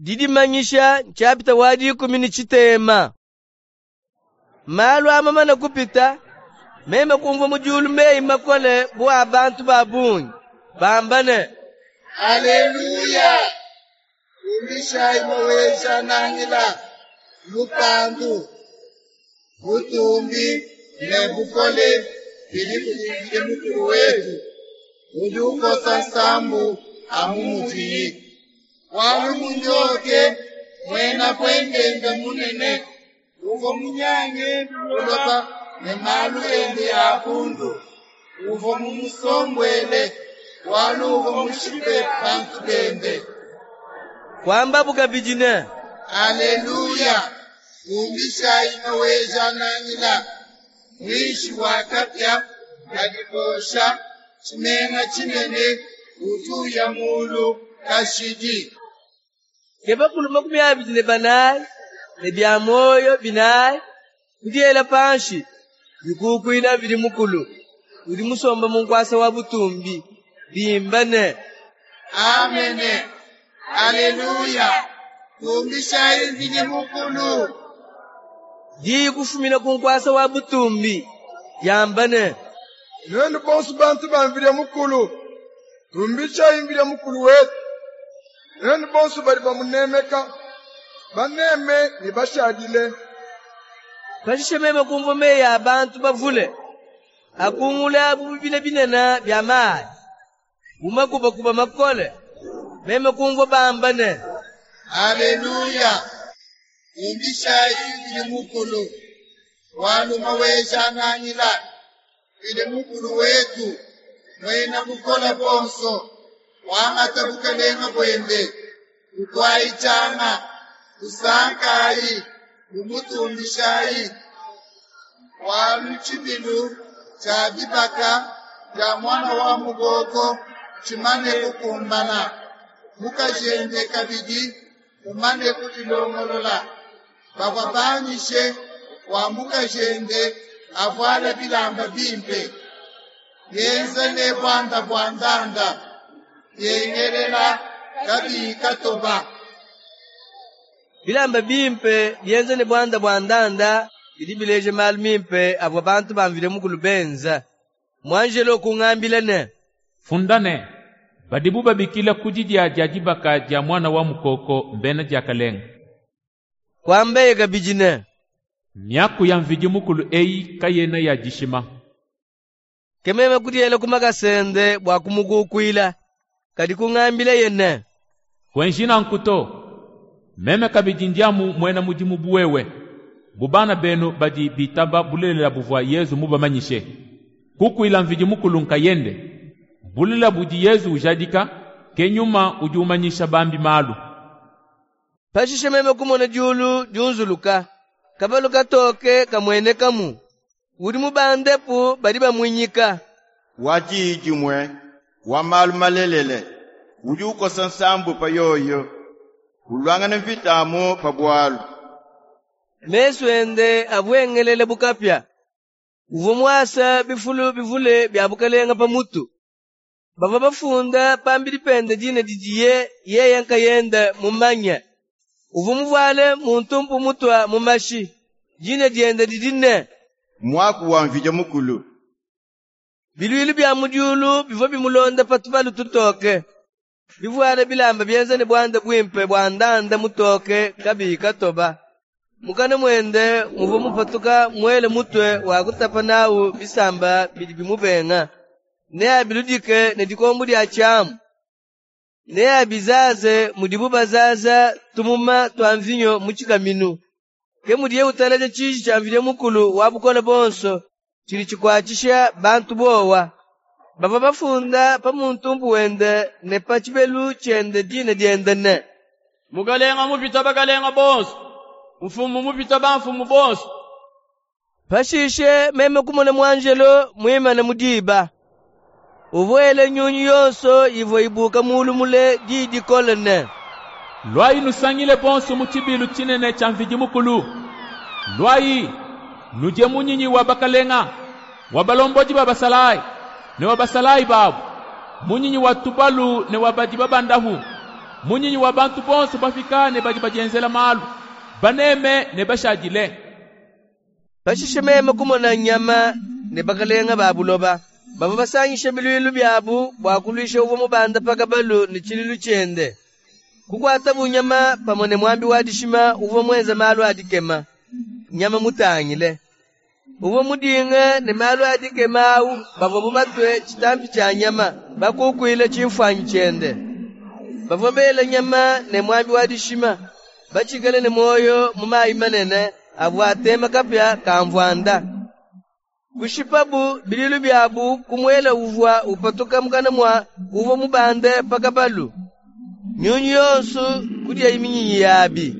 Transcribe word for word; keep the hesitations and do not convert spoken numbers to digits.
Didimanyisha nshapita wa dikumi ne tshitema. Malu aa mamane kupita, meme kumvua mu diulu meyi makole bu a bantu ba bungi, bamba ne: Aleluya! Tumbishayi Maweja-Nangila, lupandu, butumbi ne bukole bidi kudi Mvidi Mukulu wetu, udi ukosa nsambu amu mudiyi. Bualu munyoke muena buendenda munene, uvua munyange buloba ne malu ende a bundu, uvua mumusombuele, bualu uvua mushipe bantu bende. Kuambabu kabidi ne: Aleluya! Tumbishayi Maweja-Nangila, muinshi wa kapia kadi kosha tshimenga tshinene, udi uya mulu kashidi. Ke bakulu makumi abidi ne banayi ne bia muoyo binayi kudiela panshi, bikukuila Mvidi Mukulu, udi musombe mu nkuasa wa butumbi, bimba ne: Amene, aleluya! Tumbishayi Mvidi Mukulu. Diyi kufumina ku nkuasa wa butumbi, diamba ne: Nuenu bonso bantu ba Mvidi Mukulu, tumbishayi Mvidi Mukulu wetu. Nuenu bonso badi bamunemeka, baneme ne bashadile. Pashishe meme kumvua meyi a bantu bavule, akungula bu bibila binene bia mayi, bu makubakuba makole. Meme kumvua bamba ne: Aleluya! Tumbishayi Mvidi Mukulu, bualu Maweja-Nangila, Mvidi Mukulu wetu, muena bukole buonso, wangata bukalenga buende, tutuayi tshianga, tusankayi, tumutumbishayi. Bualu tshibilu tshia dibaka dia muana wa mukoko tshimane kukumbana, mukajende kabidi mumane kudilongolola. Bavua banyishe bua mukajende avuale bilamba bimpe, bienza ne buanda bua ndanda, biengelela kabiyi katoba. Bilamba bimpe bienza ne buanda bua ndanda bidi bileja malu mimpe avua bantu ba Mvidi Mukulu benza. Muanjelo kungambila ne: Funda ne, badibu babikila ku didia dia dibaka dia muana wa mukoko mbena diakalenga. Kuambaye kabidi ne: Miaku ya Mvidi Mukulu eyi kayena ya dishima. Ke meme kudiela ku makasa ende bua kumukukuila, kadi kungambilaye ne: Kuenji nanku to. Meme kabidi ndi amu muena mudimu bu wewe, bu bana benu badi bitaba bulelela buvua Yezu mubamanyishe. Kukuila Mvidi Mukulu nkayende. Bulelela budi Yezu ujadika, ke Nyuma udi umanyisha bambi malu. Pashishe meme kumona diulu diunzuluka, kabalu katoke kamuenekamu. Udi mubandepu badi bamuinyika. Wa diyi dimue, wa malu malelele, udi ukosa nsambu pa yoyo, uluangana mvita amu pa bualu. Mesu ende avua engelela bu kapia. Uvua muasa bifulu bivule bia bukalenga pa mutu. Bavua bafunda pambidi pende dina didiye yeye nkayende mumanye. Uvua muvuale muntumpu mutua mu mashi. Dina diende didi ne: Muaku wa Mvidi Mukulu. Biluilu bia mu diulu bivua bimulonda pa tubalu tutoke, bivuale bilamba bienza ne buanda buimpe bua ndanda mutoke kabiyi katoba. Mukana muende muvua mupatuka muele mutue wa kutapa nawu bisamba bidi bimubenga. Neabiludike ne dikombo dia tshiamu. Neabizaze mudibu bazaza tumuma tua mvinyo mu tshikaminu. Ke mudiye uteleja tshiji tshia Mvidi Mukulu wa bukole buonso tshidi tshikuatshisha bantu bowa. Bavua bafunda pa muntumpu wende ne pa tshibelu tshiende dina diende ne: Mukalenga mupita bakalenga bonso, mfumu mupita bamfumu bonso. Pashishe meme kumona muanjelo muimane mu diba. Uvua wela nyunyi yonso ivua ibuka mulu mule diyi dikole ne: Luayi nusangile bonso mu tshibilu tshinene tshia Mvidi Mukulu. Luayi nudie munyinyi wa bakalenga, wa balombodi ba basalayi ne wa basalayi babu, munyinyi wa tubalu ne wa badi babandapu, Munyinyi wa bantu bonso bapika ne badi badienzela malu, baneme ne bashadile. Pashishe meme kumona nyama ne bakalenga ba buloba. Bavua basangishe biluilu biabu bua kuluisha uvua mubande pa kabalu ne tshiluilu tshiende. Kukuatabu nyama pamue ne muambi wa dishima uvua muenze malu a dikema, nyama mutangile. Uvua mudinge ne malu a dikema awu bavuabu batue tshitampi tshia nyama, bakukuile tshimfuanyi tshiende. Bavua bela nyama ne muambi wa dishima, batshikale ne muoyo mu mayi manene avua atema kapia ka mvuanda. Kushipabu biluilu biabu ku muele uvua upatuka mukana mua uvua mubande pa kabalu. Nyunyu yonso kudiayi minyinyi yabi.